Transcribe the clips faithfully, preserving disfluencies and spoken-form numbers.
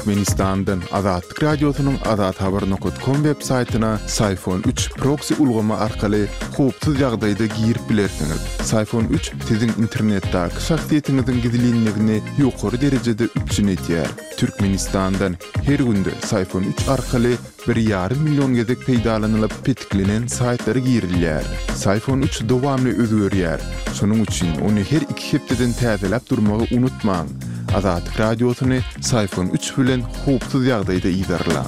Türkmenistandan Azatlyk Radiosynyň azathabar nokat kom web saýtyna Syfon üç proksi ulgamy arkaly howpsuz ýagdaýda girip bilersiňiz. Syfon üç siziň internetdäki şahsyýetiňiziň gizlinligini ýokary derejede üpjün edýär. Türkmenistandan her günde Syfon üç arkaly bir ýarym million gezek peýdalanylyp petiklenen saýtlara girilýär. Syfon üç dowamly özgerýär. Şonuň üçin ony her iki hepdeden täzeläp durmagy unutmaň. Azatlyk Radiosyny Syfon üç bilen howpsuz ýagdaýda yzarlaň.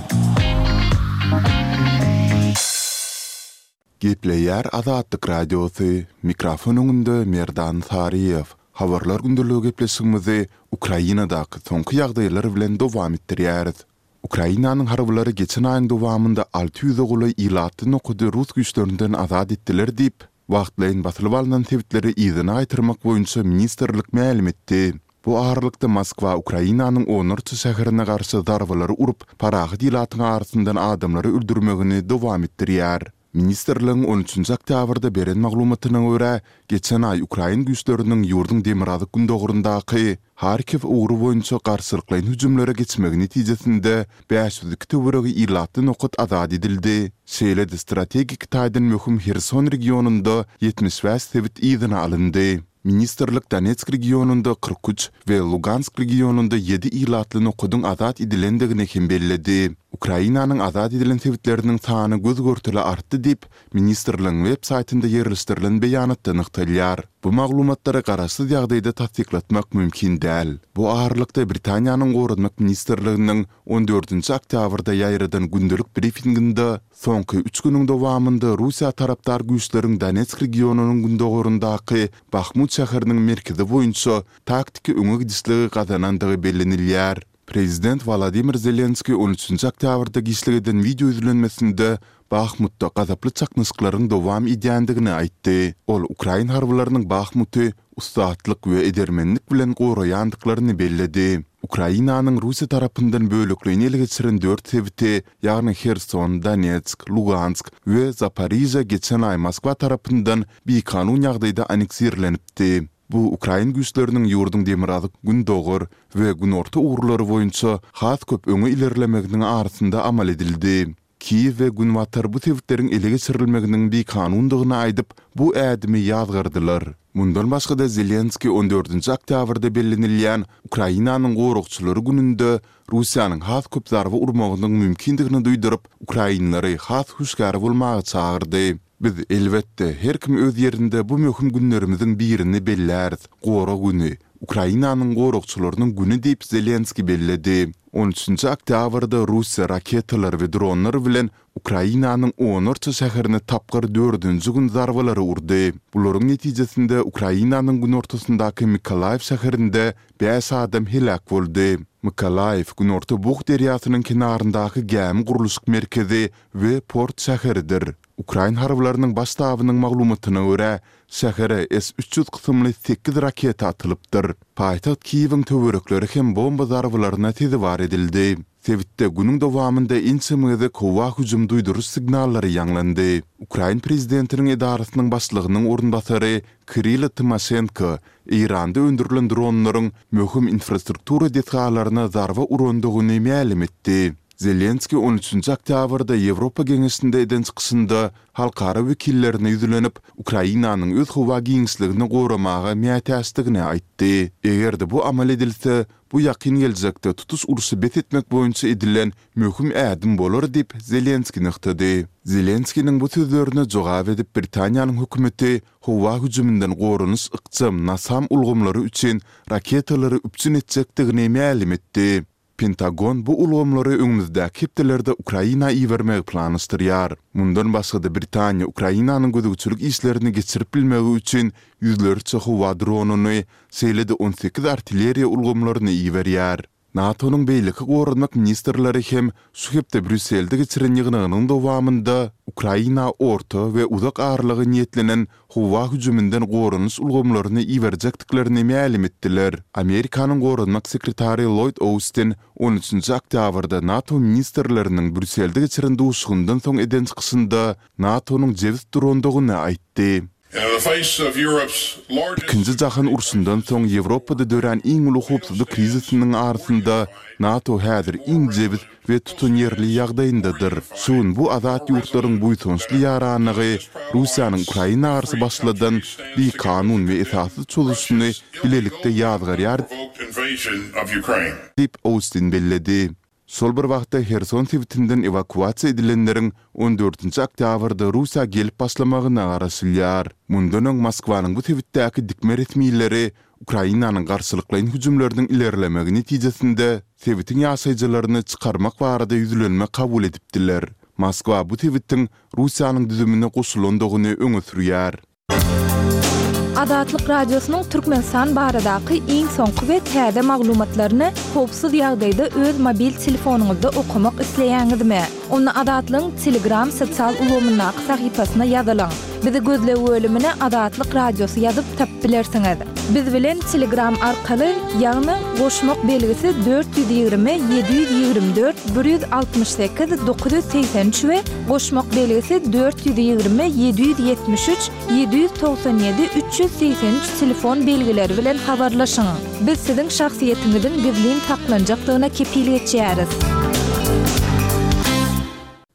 Gepleýär Azatlyk Radiosy, mikrofon öňünde Merdan Saryýew. Habarlar gündeligi gepleşigimizi Ukrainadaky soňky ýagdaýlar bilen dowam etdirýäris. Ukrainanyň harbylary geçen aýyň dowamynda alty ýüze golaý ilatly nokady rus güýçlerinden azat etdiler diýip, wagtlaýyn basylyp alnan sebitleri yzyna gaýtarmak boýunça ministrlik mälim etdi. Bu aralykda Moskwa Ukrainanyň onlarça şäherine garşy zarbalary urup, parahat ilatyň arasyndan adamlary öldürmegini dowam etdirýär. Ministrligiň on üçünji oktýabrda beren maglumatyna görä, geçen aý ukrain güýçleriniň ýurduň demirgazyk-gündogaryndaky Harkiw ugry boýunça garşylyklaýyn hüjümlere geçmegi netijesinde bäş ýüz iki töweregi ilatly nokat azat edildi, şeýle-de strategik taýdan möhüm Herson regionynda ýetmiş bäş sebit yzyna alyndy. Ministrlik Donetsk regionynda kyrk üç we Lugansk regionynda ýedi ilatly nokadyň azat edilendigini hem belledi. Ukrainanyň azat edilen sebitleriniň sany göz-görtele artdy diýip, ministrligiň web saýtynda ýerleşdirilen beýanatda nygtalýar. Bu maglumatlary garaşsyz ýagdaýda tassyklatmak mümkin däl. Bu aralykda Britaniýanyň Goranmak ministrliginiň on dördünji oktýabrda ýaýradan gündelik brifinginde soňky üç günüň dowamynda Russiýa tarapdar güýçleriň Donetsk regionynyň gündogaryndaky Bahmut şäheriniň merkezi boýunça taktiki öňe gidişligi gazanandygy bellenilýär. Prezident Wolodymyr Zelenskiý on üçünji oktýabrda giçlik eden wideo ýüzlenmesinde Bahmutda gazaply çaknyşyklaryň dowam edýändigini aýtdy. Ol ukrain harbylarynyň Bahmuty ussatlyk we edermenlik bilen goraýandyklaryny belledi. Ukrainanyň Russiýa tarapyndan bölekleýin ele geçiren dört sebiti, ýagny Herson, Donetsk, Lugansk we Zaporižýa geçen aý Moskwa tarapyndan bikanun ýagdaýda anneksirlenipdi. Bu ukrain güýçleriniň ýurduň demirgazyk-gündogar we günorta ugurlary boýunça has köp öňe ilerlemeginiň arasynda amal edildi. Kiýew we Günbatar bu sebitleriň ele geçirilmeginiň bikanundygyny aýdyp, bu ädimi ýazgardylar. Mundan başga-da Zelenskiý on dördünji oktýabrda bellenilýän Ukrainanyň goragçylary gününde Russiýanyň has köp zarba urmagynyň mümkindigini duýduryp, ukrainlary has hüşgär bolmaga çagyrdy. Biz, elbetde, her kim öz ýerinde bu möhüm günlerimiziň birini belläris, Gorag güni, Ukrainanyň goragçylarynyň güni diýip, Zelenskiý belledi. On üçünji oktýabrda Russiýa raketalar we dronlar bilen Ukrainanyň onlarça şäherine tapgyr dördünji gün zarbalary urdy. Bularyň netijesinde Ukrainanyň günortasyndaky Mykolaýiw şäherinde bäş adam heläk boldy. Mykolaýiw Günorta Bug derýasynyň kenaryndaky gämi gurluşyk merkezi we port şäheridir. Ukrain harbylarynyň baş ştabynyň maglumatyna görä, şähere S üç ýüz kysymly sekiz raketa atylypdyr. Paýtagt Kiýewiň töwerekleri hem bomba zarbalaryna sezewar edildi. Sebitde günüň dowamynda ençeme gezek howa hüjüm duýduryş signallary ýaňlandy. Ukrain prezidentiniň edarasynyň başlygynyň orunbasary Kirilo Tymoşenko Eýranda öndürilen dronlaryň möhüm infrastruktura desgalaryna zarba urandygyny mälim etdi. Zelenskiý on üçünji oktýabrda Ýewropa Geňeşinde eden çykyşynda halkara wekillerine ýüzlenip, Ukrainanyň öz howa giňişligini goramaga mätäçdigini aýtdy. Eger-de bu amal edilse, bu ýakyn geljekde tutuş urşy bes etmek boýunça edilen möhüm ädim bolar diýip, Zelenskiý nygtady. Zelenskiniň bu sözlerine jogap edip, Britaniýanyň hökümeti howa hüjüminden goranyş ykjam NASAM ulgamlary üçin raketalary üpjün etjekdigini mälim etdi. Pentagon bu ulgamlary öňümizdäki hepdelerde Ukraina ibermegi planlaşdyrýar. Mundan başga-da Britaniýa Ukrainanyň gözegçilik işlerini geçirip bilmegi üçin ýüzlerçe howa dronyny, şeýle-de on sekiz artilleriýa ulgamlaryny iberýär. NATO-nyň beýleki goranmak ministrleri hem şu hepde Brýusselde geçiren ýygnagynyň dowamynda Ukraina orta we uzak aralyga niýetlenen howa hüjüminden goranyş ulgamlaryny iberjekdiklerini mälim etdiler. Amerikanyň goranmak sekretary Lloýd Austin on üçünji oktýabrda NATO ministrleriniň Brýusselde geçiren duşuşygyndan soň eden çykyşynda NATO-nyň jebis durandygyny aýtdy. Ikinji jahan urşundan soň Ýewropada dörän iň uly howpsuzlyk krizisiniň arasynda NATO häzir iň jebis we tutanýerli ýagdaýyndadyr. Şu gün bu azat ýurtlaryň buýsançly ýaranlygy Russiýanyň Ukraina garşy başladan bikanun we esassyz çozuşyny bilelikde ýazgarýar diýip, Austin belledi. Şol bir wagtda Herson sebitinden ewakuasiýa edilenleriň on dördünji oktýabrda Russiýa gelip başlamagyna garaşylýar. Mundan öň Moskwanyň bu sebitdäki dikme resmileri Ukrainanyň garşylyklaýyn hüjümleriniň ilerlemegi netijesinde sebitiň ýaşaýjylaryny çykarmak barada ýüzlenme kabul edipdiler. Moskwa bu sebitiň Russiýanyň düzümine goşulandygyny öňe sürýär. Azatlyk Radiosynyň Türkmenistan baradaky iň soňky we täze maglumatlaryny howpsuz ýagdaýda öz mobil telefonyňyzda okamak isleýäňizmi? Onda Azatlygyň Telegram sosial ulgamyndaky sahypasyna ýazylyň. Bizi gözleg bölümine Azatlyk Radiosy ýazyp tapyp bilersiňiz. Biz bilen Telegram arkaly, ýagny goşmak belgisi dört ýüz ýigrimi ýedi ýüz ýigrimi dört bir ýüz altmyş sekiz dokuz ýüz segsen üç we goşmak belgisi dört ýüz ýigrimi ýedi ýüz ýetmiş üç ýedi ýüz togsan ýedi üç ýüz segsen üç telefon belgileri bilen habarlaşyň. Biz siziň şahsyýetiňiziň gizlin saklanjakdygyna kepil geçýäris.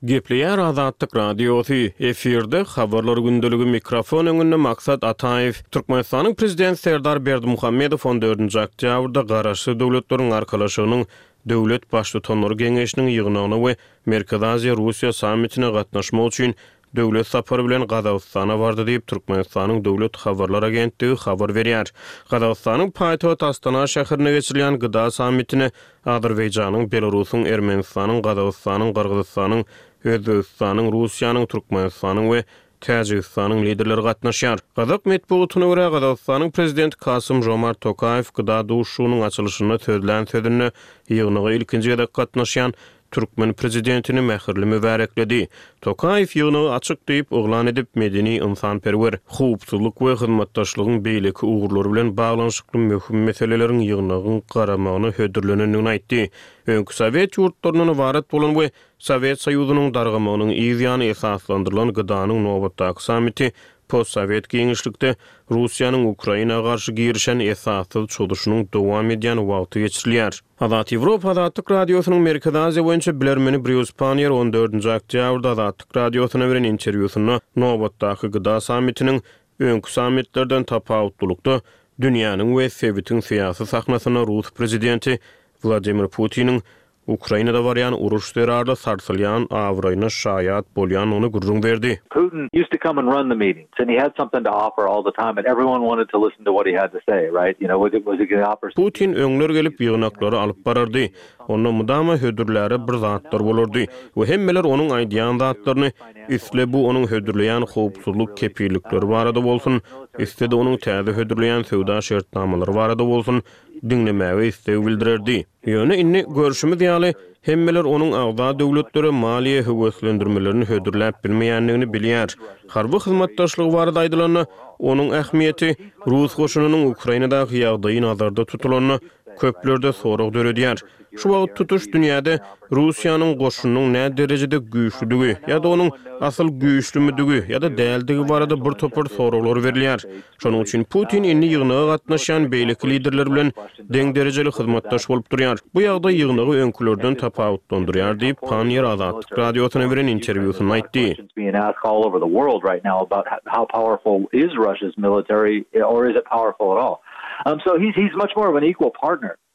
Gepleýär Azatlyk Radiosy, efirde Habarlar gündeligi, mikrofon öňünde Maksat Ataýew. Türkmenistanyň Prezidenti Serdar Berdimuhamedow on dördünji oktýabrda Garaşsyz Döwletleriň Arkalaşygynyň Döwlet Baştutanlary Geňeşiniň ýygnagyna we Merkezi Aziýa-Russiýa sammitine gatnaşmak üçin döwlet sapary bilen Gazagystana bardy diýip, Türkmenistanyň Döwlet habarlar agentligi habar berýär. Gazagystanyň paýtagty Astana şäherinde geçirilýän gda sammitine Azerbaýjanyň, Belarusyň, Ermenistanyň, Gazagystanyň, Gyrgyzystanyň, Özbegistanyň, Russiýanyň, Türkmenistanyň we Täjigistanyň liderleri gatnaşýar. Gazak metbugatyna görä, Gazagystanyň prezidenti Kasym-Žomart Tokaýew gda duşuşygynyň açylyşynda sözlän sözünde ýygnaga ilkinji gezek gatnaşýan türkmen prezidentini mähirli mübärekledi. Tokaýew ýygnagy açyk diýip yglan edip, medeni-ynsanperwer, howpsuzlyk we hyzmatdaşlygyň beýleki ugurlary bilen baglanyşykly möhüm meseleleriň ýygnagyň garamagyna hödürlenendigini aýtdy. Öňki sowet ýurtlaryndan ybarat bolan we Sowet Soýuzynyň dargamagynyň yz ýany esaslandyrylan GDA-nyň nobatdaky sammiti postsowet giňişlikde Russiýanyň Ukraina garşy girişen esassyz çozuşynyň dowam edýän wagty geçirilýär. Azat Ýewropa Azatlyk Radiosynyň Merkezi Aziýa boýunça bilermeni Brýus Panniýer on dördünji oktýabrda Azatlyk Radiosyna beren interwýusynda nobatdaky GDA sammitiniň öňki sammitlerden tapawutlylykda dünýäniň we sebitiň syýasy sahnasynda rus prezidenti Wladimir Putiniň Ukrainada barýan uruş zerarly sarsylýan abraýyna şaýat bolýandygyny gürrüň berdi. Putin used to come and run the meetings and he had something to offer all the time and everyone wanted to listen to what he had to say, right? You know, was it, was he gonna offer Putin öňler gelip ýygnaklary alyp barardy. Onda mydama hödürläre bir zatlar bolardy we hemmeler onuň aýdýan zatlaryny, isle bu onuň hödürleýän howpsuzlyk kepillikleri barada bolsun, isle-de onuň täze hödürleýän söwda şertnamalary barada bolsun, diňlemäge isleg bildirerdi. Ýöne indi, görşümiz ýaly, hemmeler onuň agza döwletlere maliýe höweslendirmelerini hödürläp bilmeýändigini bilýär. Harby hyzmatdaşlygy barada aýdylanda, onuň ähmiýeti rus goşunynyň Ukrainadaky ýagdaýy nazarda tutulanda, köplerde sorag döredýär. Şu wagt tutuş dünýäde Russiýanyň goşunynyň nä derejede güýçlüdigi ýa-da onuň asyl güýçlümidigi ýa-da däldigi barada bir topar soraglar berilýär. Şonuň üçin Putin indi ýygnaga gatnaşýan beýleki liderler bilen deň derejeli hyzmatdaş bolup durýar. Bu ýagdaý ýygnagy öňkülerden tapawutlandyrýar diýip, Panniýer Azatlyk Radiosyna beren interwýusynda aýtdy.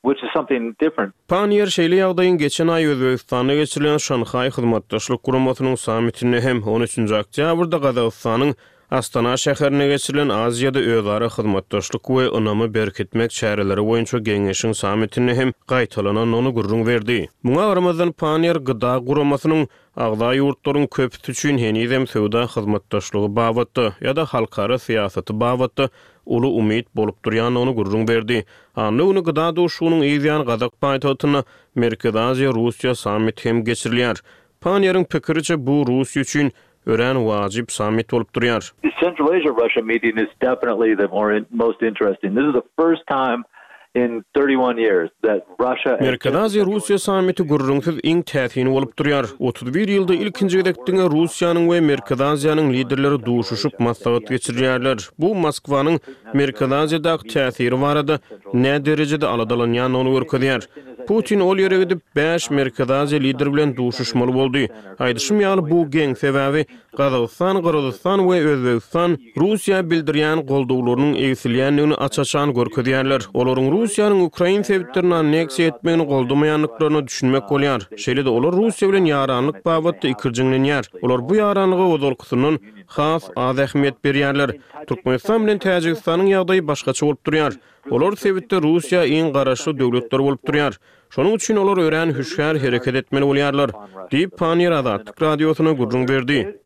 Which is something different. Panniýer şeýle ýagdaýyň geçen aý Özbegistanda geçirilen Şanhaý Hyzmatdaşlyk Guramasynyň sammitinde hem, on üçünji oktýabrda Gazagystanyň Astana şäherinde geçirilen Aziýada özara hyzmatdaşlyk we ynamy berkitmek çäreleri boýunça geňeşiň sammitinde hem gaýtalanandygyny gürrüň berdi. Muňa garamazdan, Panniýer GDA guramasynyň agza ýurtlaryň köpüsi üçin henizem söwda hyzmatdaşlygy babatda ýa-da halkara syýasaty babatda uly umyt bolup durýandygyny gürrüň berdi. Anna güni GDA duşuşygynyň yz ýany gazak paýtagtynda Merkezi Aziýa-Russiýa sammiti hem geçirilýär. Panniýeriň pikiriçe, bu Russiýa üçin örän wajyp sammit bolup durýar. The Central Asia-Russia meeting is definitely the more most interesting. This is the first time in thirty one years that Russia and Merkezi Aziýa-Russiýa sammiti gürrüňsiz iň täsini bolup durýar. Otuz bir ýylda ilkinji gezek diňe Russiýanyň we Merkezi Aziýanyň liderleri duşuşyp maslahat geçirýärler. Bu Moskwanyň Merkezi Aziýadaky täsiri barada näderejede aladalanýandygyny görkezýär. Putin ol ýere gidip, bäş Merkezi Aziýa lideri bilen duşuşmaly boldy. Aýdyşym ýaly, bu geň, sebäbi Gazagystan, Gyrgyzystan we Özbegistan Russiýa bildirýän goldawlarynyň egsilýändigini aç-açan görkezýärler. Olaryň Russiýanyň ukrain sebitlerini anneksiýa etmegini goldamaýandyklaryna düşünmek bolýar. Şeýle-de olar Russiýa bilen ýaranlyk babatda ikirjiňlenýär. Olar bu ýaranlyga ozalkysyndan has az ähmiýet berýärler. Türkmenistan bilen Täjigistanyň ýagdaýy başgaça bolup durýar. Olar sebitde Russiýa iň garaşly döwletler bolup durýar. Şonuň üçin olar örän hüşgär hereket etmeli bolýarlar, diýip, Panniýer Azatlyk Radiosyna gürrüň berdi.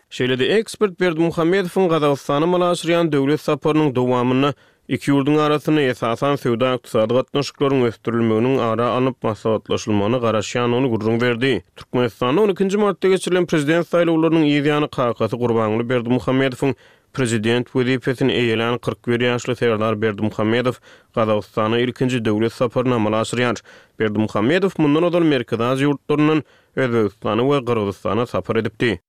Şeýle-de ekspert Berdimuhamedowyň Gazagystana amala aşyrýan döwlet saparynyň dowamynda iki ýurduň arasynda esasan söwda-ykdysady gatnaşyklaryň ösdürilmeginiň ara alnyp maslahatlaşylmagyna garaşýandygyny gürrüň berdi. Türkmenistanda on ikinji martda geçirilen prezident saýlawlarynyň yz ýany kakasy Gurbanguly Berdimuhamedowyň prezident wezipesini eýelän kyrk bir ýaşly Serdar Berdimuhamedow Gazagystana ilkinji döwlet saparyny amala aşyrýar. Berdimuhamedow mundan ozal Merkezi Aziýa ýurtlaryndan Özbegistana we Gyrgyzystana sapar edipdi.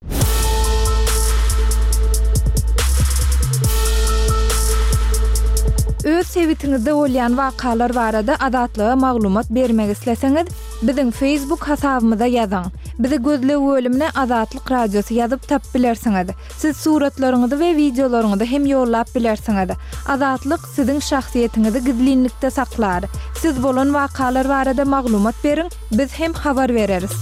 Öz sebitiňizde bolýan wakalar barada Azatlyga maglumat bermek isleseňiz, biziň Facebook hasabymyza ýazyň. Bizi gözleg bölümine Azatlyk Radiosy ýazyp tapyp bilersiňiz. Siz suratlaryňyzy we wideolaryňyzy hem ýollap bilersiňiz. Azatlyk siziň şahsyýetiňizi gizlinlikde saklar. Siz bolan wakalar barada maglumat beriň, biz hem habar bereris.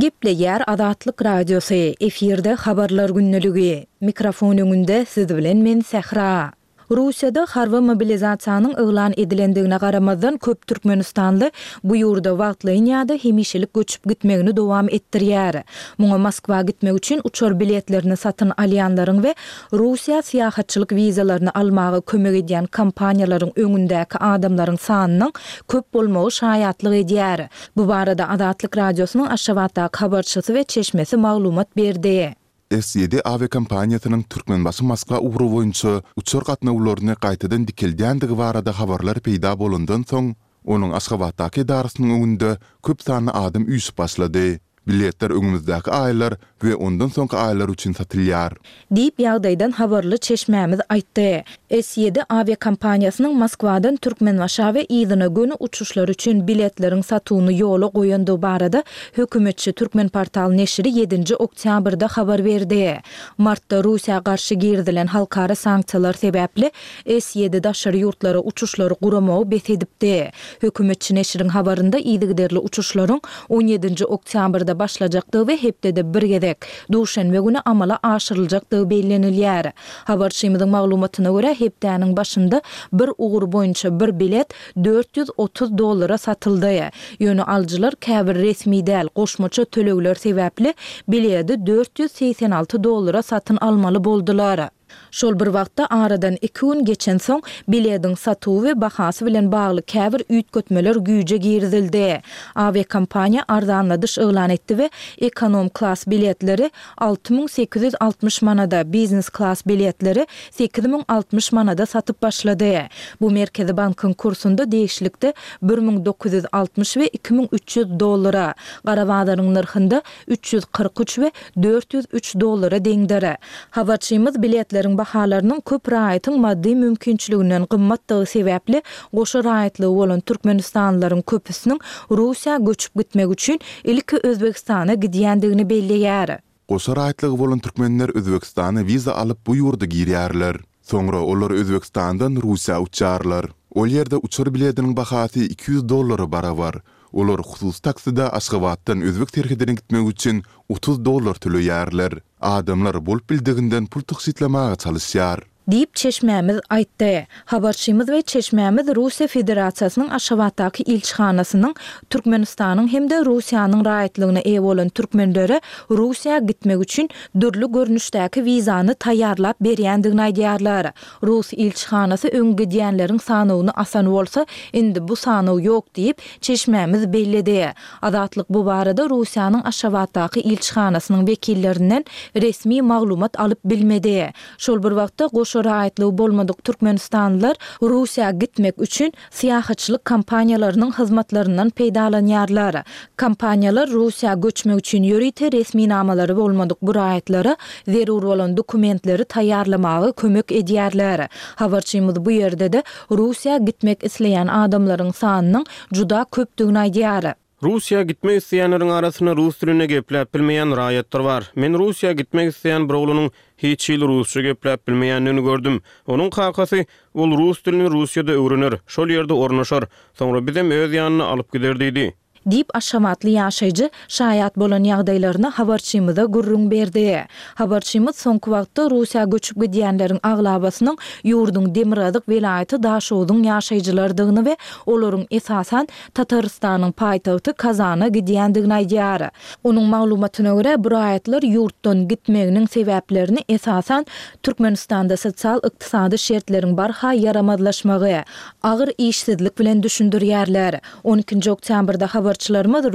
Gepleýär Azatlyk Radiosy, efirde Habarlar gündeligi. Mikrofon öňünde siz bilen men Sähra. Russiýada harby mobilizasiýanyň yglan edilendigine garamazdan köp türkmenistanly bu ýurda wagtlaýyn ýa-da hemişelik göçüp gitmegini dowam etdirýär. Muňa Moskwa gitmek üçin uçar biletlerini satyn alýanlaryň we Russiýa syýahatçylyk wizalaryny almaga kömek edýän kompaniýalaryň öňündäki adamlaryň sanynyň köp bolmagy şaýatlyk edýär. Bu barada Azatlyk Radiosynyň Aşgabatdaky habarçysy we çeşmesi maglumat berdi. S ýedi awiakompaniýasynyň Türkmenbaşy-Moskwa ugry boýunça uçar gatnawlaryny gaýtadan dikeldýändigi barada habarlar peýda bolandan soň, onuň Aşgabatdaky edarasynyň öňünde köp sanly adam üýşüp başlady. Biletler öňümizdäki aýlar we ondan soňky aýlar üçin satylýar. Diýip, ýagdaýdan habarly çeşmämiz aýtdy. S ýedi awiakompaniýasynyň Moskwadan Türkmenbaşa we yzyna göni uçuşlar üçin biletleriň satuwyny ýola goýandygy barada hökümetçi Türkmenportal neşiri ýedinji oktýabrda habar berdi. Martda Russiýa garşy girizilen halkara sanksiýalar sebäpli S ýedi daşary ýurtlara uçuşlary guramagy bes edipdi. Hökümetçi neşiriň habarynda yzygiderli uçuşlaryň on ýedinji oktýabrda başlajakdygy we hepdede bir gezek, duşenbe güni amala aşyryljakdygy bellenilýär. Habarçymyzyň maglumatyna görä, hepdäniň başynda bir ugur boýunça bir bilet dört ýüz otuz dollara satyldy. Ýöne alyjylar käbir resmi däl goşmaça tölegler sebäpli biledi dört ýüz segsen alty dollara satyn almaly boldular. Şol bir wagtda, aradan iki gün geçensoň, bilediň satuwy we bahasy bilen bagly käbir üýtgetmeler güýje girizildi. Awiakompaniýa arzanladyş yglan etdi we ekonom klas biletleri alty müň sekiz ýüz altmyş manada, biznes klas biletleri sekiz müň altmyş manada satyp başlady. Bu Merkezi bankyň kursunda degişlilikde bir müň dokuz ýüz altmyş we iki müň üç ýüz dollara, gara bazaryň nyrhynda üç ýüz kyrk üç we dört ýüz üç dollara deňdir. Habarçymyz biletleriň bahalarynyň köp raýatyň maddy mümkinçiliginden gymmatdygy sebäpli goşa raýatlygy bolan türkmenistanlylaryň köpüsiniň Russiýa göçüp gitmek üçin ilki Özbegistana gidýändigini belleýär. Goşa raýatlygy bolan türkmenler Özbegistana wiza alyp bu ýurda girýärler. Soňra olar Özbegistandan Russiýa uçýarlar. Ol ýerde uçar bilediniň bahasy iki ýüz dollara barabar. Olar hususy takside Aşgabatdan özbek serhedine gitmek üçin otuz dollar töleýärler. Adamlar bolup bildiginden pul tygşytlamaga çalyşýar. Diýip, çeşmämiz aýtdy. Habarçymyz we çeşmämiz Russiýa Federasiýasynyň Aşgabatdaky ilçihanasynyň Türkmenistanyň hem-de Russiýanyň raýatlygyna eýe bolan türkmenlere Russiýa gitmek üçin dürli görnüşdäki wizany taýýarlap berýändigini aýdýarlar. Rus ilçihanasy öň gidýänleriň sanawyny asan bolsa, indi bu sanaw ýok diýip, çeşmämiz belledi. Azatlyk bu barada Russiýanyň Aşgabatdaky ilçihanasynyň wekillerinden resmi maglumat alyp bilmedi. Şol bir wagtda, goşa raýatlygy bolmadyk türkmenistanlylar Russiýa gitmek üçin syýahatçylyk kompaniýalarynyň hyzmatlaryndan peýdalanýarlar. Kompaniýalar Russiýa göçmek üçin ýörite resminamalary bolmadyk bu raýatlara zerur bolan dokumentleri taýýarlamaga kömek edýärler. Habarçymyz bu ýerde-de Russiýa gitmek isleýän adamlaryň sanynyň juda köpdügini aýdýar. Russiýa gitmek isleýänleriň arasynda rus dilinde gepläp bilmeýän raýatlar bar. Men Russiýa gitmek isleýän bir oglanyň hiç hili rusça gepläp bilmeýändigini gördüm. Onuň kakasy, Ol rus dilini Russiýada öwrener, şol ýerde ornaşar, soňra bizem öz ýanyna alyp gider diýdi. Diýip, aşgabatly ýaşaýjy şaýat bolan ýagdaýlaryny habarçymyza gürrüň berdi. Habarçymyz soňky wagtda Russiýa göçüp gidýänleriň aglabasynyň ýurduň demirgazyk welaýaty Daşogzuň ýaşaýjylarydygyny we olaryň esasan Tatarystanyň paýtagty Kazana gidýändigini aýdýar. Onuň maglumatyna görä, bu raýatlar ýurtdan gitmeginiň sebäplerini esasan Türkmenistanda sosial-ykdysady şertleriň barha ýaramazlaşmagy, agyr işsizlik bilen düşündirýärler. On ikinji oktýabrda habarçylarymyz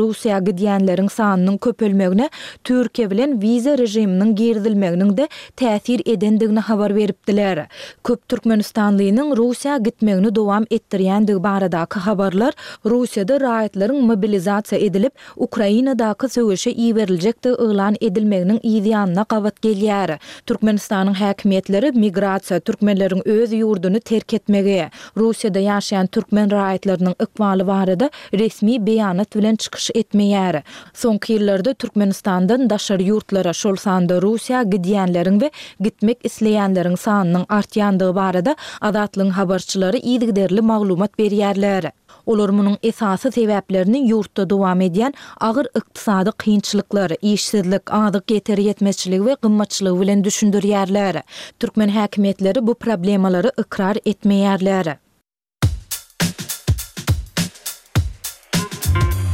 Russiýa gidýänleriň sanynyň köpelmegine Türkiýe bilen wiza režiminiň girizilmeginiň-de täsir edendigini habar beripdiler. Köp türkmenistanlynyň Russiýa gitmegini dowam etdirýändigi baradaky habarlar Russiýada raýatlaryň mobilizasiýa edilip, Ukrainadaky söweşe iberiljekdigi yglan edilmeginiň yz ýanyna gabat gelýär. Türkmenistanyň häkimiýetleri migrasiýa, türkmenleriň öz ýurduny terk etmegi, Russiýada ýaşaýan türkmen raýatlarynyň ykbaly barada resmi beýanat bilen çykyş etmeýär. Soňky ýyllarda Türkmenistandan daşary ýurtlara, şol sanda Russiýa gidýänleriň we gitmek isleýänleriň sanynyň artýandygy barada Azatlygyň habarçylary yzygiderli maglumat berýärler. Olar munuň esasy sebäplerini ýurtda dowam edýän agyr ykdysady kynçylyklar, işsizlik, azyk ýeter-ýetmezçiligi we gymmatçylygy bilen düşündirýärler. Türkmen häkimiýetleri bu problemalary ykrar etmeýärler.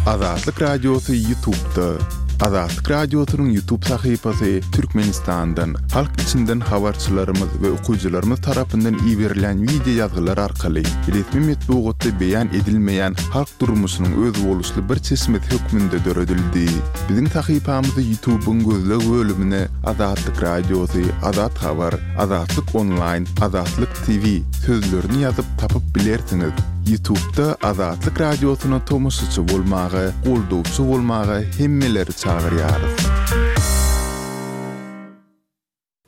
Azatlyk Radiosy Ýutubda. Azatlyk Radiosynyň Ýutub sahypasy Türkmenistandan, halk içinden habarçylarymyz we okyjylarymyz tarapyndan iberilen wideo ýazgylar arkaly resmi metbugatda beýan edilmeýän halk durmuşynyň özboluşly bir çeşmesi hökmünde döredildi. Biziň sahypamyzy Ýutubyň gözleg bölümine Azatlyk Radiosy, Azat Habar, Azatlyk Onlaýn, Azatlyk TV sözlerini ýazyp tapyp bilersiňiz. Ýutubda Azatlyk Radiosyna tomaşaçy bolmaga, goldawçy bolmaga hemmeleri çagyrýarys.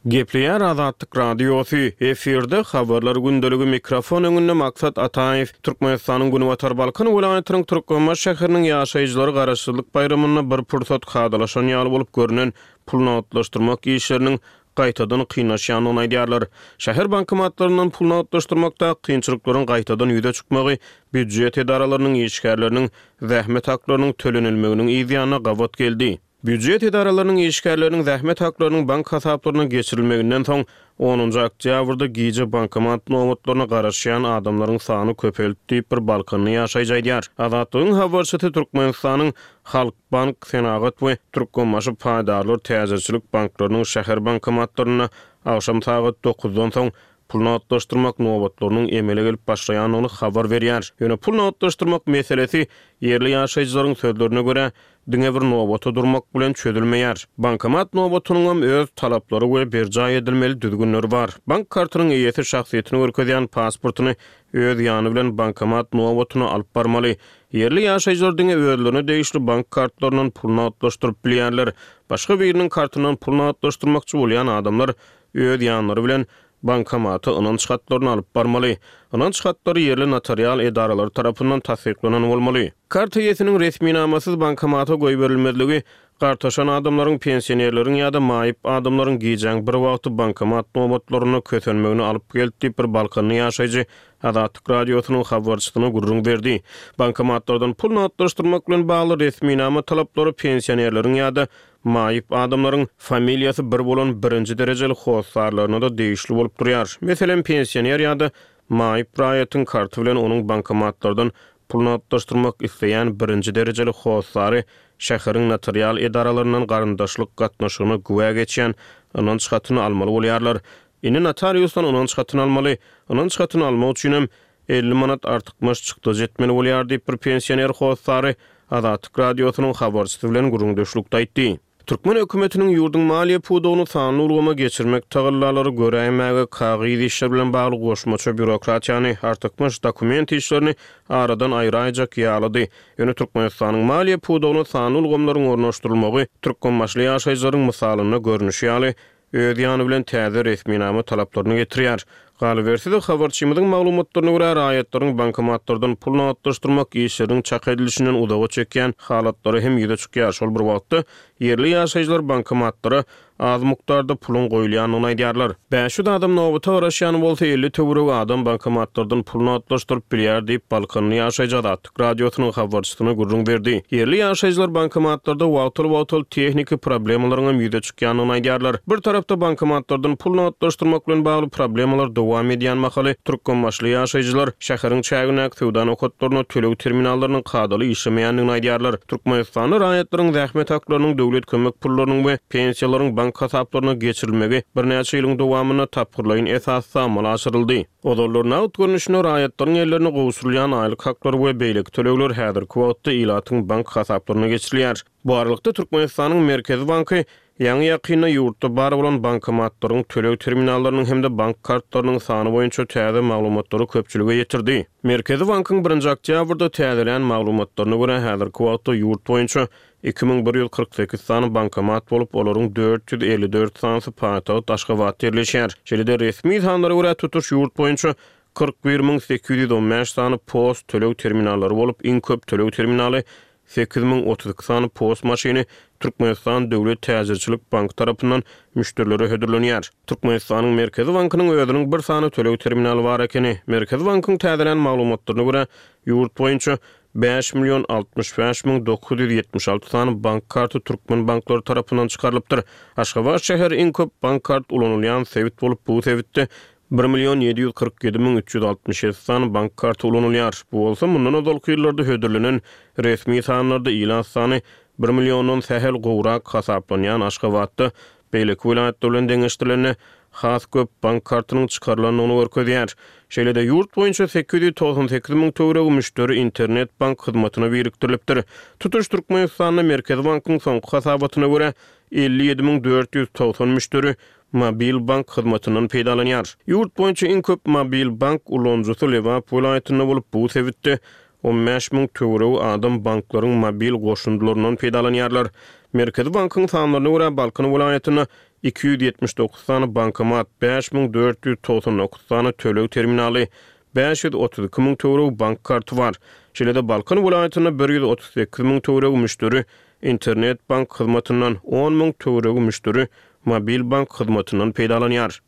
Gepleýär Azatlyk Radiosy, efirde Habarlar gündeligi mikrofon öňünde Maksat Ataýew. Türkmenistanyň Günbatar Balkan welaýatynyň Türkmenbaşy şäheriniň ýaşaýjylary Garaşsyzlyk baýramynda bir pursat kadalaşan ýaly bolup görnen pul nagtlaşdyrmak işleriniň gaýtadan kynlaşýandygyny aýdýarlar. Şäher bankomatlaryndan pul nagtlaşdyrmakda kynçylyklaryň gaýtadan ýüze çykmagy býujet edaralarynyň işgärleriniň zähmet haklarynyň tölenilmeginiň yz ýanyna gabat geldi. Býujet edaralarynyň işgärleriniň zähmet haklarynyň bank hasaplaryna geçirilmeginden soň, onunjy oktýabrda gije bankomat nobatlaryna garaşýan adamlaryň sany köpeldi diýip, bir balkanly ýaşaýjy aýdýar. Azatlygyň habarçysy Türkmenistanyň Halkbank, Senagat we Türkmenbaşy paýdarlar täjirçilik banklarynyň şäher bankomatlarynda agşam sagat dokuzdan soň pul nagtlaşdyrmak nobatlarynyň emele gelip başlaýandygyny habar berýär. Ýöne pul nagtlaşdyrmak meselesi, ýerli ýaşaýjylaryň sözlerine görä, diňe bir nobata durmak bilen çözülmeýär. Bankomat nobatynyňam öz talaplary we berjaý edilmeli düzgünleri bar. Bank kartynyň eýesi şahsyýetini görkezýän pasportyny öz ýany bilen bankomat nobatyna alyp barmaly. Ýerli ýaşaýjylar diňe özlerine degişli bank kartlaryndan pul nagtlaşdyryp bilýärler. Başga biriniň kartyndan pul nagtlaşdyrmakçy bolýan adamlar öz ýanlary bilen bankomata ynanç hatlaryny alyp barmaly. Ynanç hatlary ýerli notarial edaralary tarapyndan tassyklanan bolmaly. Kart eýesiniň resminamasyz bankomata goýberilmezligi gartaşan adamlaryň, pensionerleriň ýa-da maýyp adamlaryň gijäň bir wagty bankomat nobatlarynda kösenmegine alyp geldi diýip, bir balkanly ýaşaýjy Azatlyk Radiosynyň habarçysyna gürrüň berdi. Bankomatlardan pul nagtlaşdyrmak bilen bagly resminama talaplary pensionerleriň ýa-da maýyp adamlaryň familiýasy bir bolan birinji derejeli hossarlaryna-da degişli bolup durýar. Meselem, pensioner ýa-da maýyp raýatyň karty bilen onuň bankomatlardan pul nagtlaşdyrmak isleýän birinji derejeli hossary şäheriň notarial edaralaryndan garyndaşlyk gatnaşygyna güwä geçýän ynanç hatyny almaly bolýarlar. Indi notariusdan ynanç hatyny almaly. Ynanç hatyny almak üçinem elli manat artykmaç çykdajy etmeli bolýar diýip, bir pensioner hossary Azatlyk Radiosynyň habarçysy bilen gürrüňdeşlikde aýtdy. Türkmen hökümetiniň ýurduň maliýe pudagyny sanly ulgama geçirmek tagallalary göräýmäge kagyz işler bilen bagly goşmaça býurokratiýany, artykmaç dokument işlerini aradan aýraýjak ýalydy. Ýöne Türkmenistanyň maliýe pudagyna sanly ulgamlaryň ornaşdyrylmagy türkmenbaşyly ýaşaýjylaryň mysalynda görnüşi ýaly, öz ýany bilen täze resminama talaplaryny getirýär. Galyberse-de, habarçymyzyň maglumatlaryna görä, raýatlaryň bankomatlardan pul nagtlaşdyrmak işleriniň çak edilişinden uzaga çekýän halatlary hem ýüze çykýar. Şol bir wagtda, ýerli ýaşaýjylar bankomatlara az mukdarda puluň goýulýandygyny aýdýarlar. Bäş ýüz adam nobata garaşýan bolsa, elli töweregi adam bankomatlardan pul nagtlaşdyryp bilýär diýip, balkanly ýaşaýjy Azatlyk Radiosynyň habarçysyna gürrüň berdi. Ýerli ýaşaýjylar bankomatlarda wagtal-wagtal tehniki problemalaryň hem ýüze çykýandygyny aýdýarlar. Bir tarapda bankomatlardan pul nagtlaşdyrmak bilen bagly problemalar dowam edýän mahaly, türkmenbaşyly ýaşaýjylar şäheriň çägindäki söwda nokatlarynda töleg terminallarynyň kadaly işlemeýändigini aýdýarlar. Türkmenistanda raýatlaryň zähmet haklarynyň, döwlet kömek pullarynyň we pensiýalaryň bank hasaplaryna geçirilmegi birnäçe ýylyň dowamynda tapgyrlaýyn esasda amala aşyryldy. Ozallar nagt görnüşinde raýatlaryň ellerine gowşurylýan aýlyk haklary we beýleki tölegler häzirki wagtda ilatyň bank hasaplaryna geçirilýär. Bu aralykda, Türkmenistanyň Merkezi banky ýaňy-ýakynda ýurtda bar bolan bankomatlaryň, töleg terminallarynyň hem-de bank kartlarynyň sany boýunça täze maglumatlary köpçülige ýetirdi. Merkezi bankyň birinji oktýabrda täzelän maglumatlaryna görä, häzirki wagtda ýurt boýunça iki müň bir ýüz kyrk sekiz sany bankomat bolup, olaryň dört ýüz elli dört sanysy paýtagt Aşgabatda ýerleşýär. Şeýle-de, resmi sanlara görä, tutuş ýurt boýunça kyrk bir müň sekiz ýüz on bäş sany post töleg terminallary bolup, iň köp töleg terminaly sekiz müň otuz iki sany post maşyny Türkmenistan döwlet täjirçilik banky tarapyndan müşderilere hödürlenýär. Türkmenistanyň Merkezi bankynyň özüniň bir sany töleg terminaly bar ekeni. Merkezi bankyň täzelän maglumatlaryna görä, ýurt boýunça bäş million altmyş bäş müň dokuz ýüz ýetmiş alty sany bank karty türkmen banklary tarapyndan çykarylypdyr. Aşgabat şäheri iň köp bank kart ulanylýan sebit bolup, bu sebitde bir million ýedi ýüz kyrk ýedi müň üç ýüz altmyş ýedi sany bank karty ulanylýar. Bu bolsa mundan ozalky ýyllarda hödürlenen resmi sanlarda ilat sany bir milliondan sähel gowrak hasaplanýan Aşgabatda beýleki welaýatlar bilen deňeşdirilende has köp bank kartynyň çykarylandygyny görkezýär. Şeýle-de ýurt boýunça sekiz ýüz togsan sekiz müň töweregi müşderi internet bank hyzmatyna birikdirilipdir. Tutuş Türkmenistanda Merkezi bankyň soňky hasabatyna görä, elli ýedi müň dört ýüz togsan müşderi mobil bank hyzmatyndan peýdalanýar. Ýurt boýunça iň köp mobil bank ulanyjysy Lebap welaýatynda bolup, bu sebitde on bäş müň töweregi adam banklaryň mobil goşundylaryndan peýdalanýarlar. Merkezi bankyň sanlaryna görä, Balkan welaýatynda iki ýüz ýetmiş dokuz sany bankomat, bäş müň dört ýüz togsan dokuz sany töleg terminaly, bäş ýüz otuz iki müň töweregi bank karty bar. Şeýle-de Balkan welaýatynda bir ýüz otuz sekiz müň töweregi müşderi internet bank hyzmatyndan, on müň töweregi müşderi mobil bank hyzmatyndan peýdalanýar.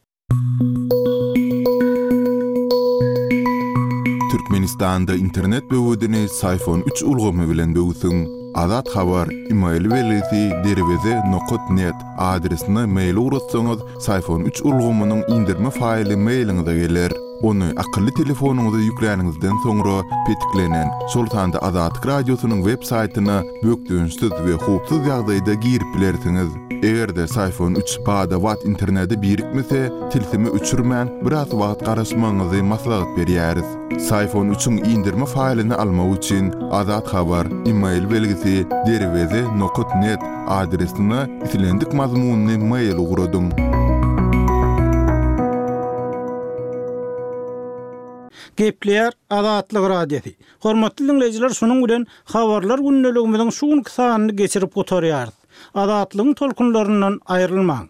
Türkmenistanda internet böwedini Syfon üç ulgamy bilen böwsüň. Azat Habar, email belgisi derweze nokat net adresine mail ugratsaňyz, Syfon üç ulgamynyň indirme faýly mailiňize geler. Ony akylly telefonyňyza ýükläniňizden soňra petiklenen, şol sanda Azatlyk Radiosynyň web saýtyna bökdençsiz we howpsuz ýagdaýda girip bilersiňiz. Eger-de Syfon üç bada-bat internete birikmese, tilsimi öçürmän, biraz wagt garaşmagyňyzy maslahat berýäris. Syfon üçiň indirme faýlyny almak üçin Azat Habar, email belgisi derweze nokat net adresine islendik mazmunly mail ugradyň. Gepleýär Azatlyk Radiosy. Hormatly dinleýjiler, şunuň bilen habarlar gündeligimiziň şu günki sanyny geçirip gutarýarys. Azatlygyň tolkunlaryndan aýrylmaň.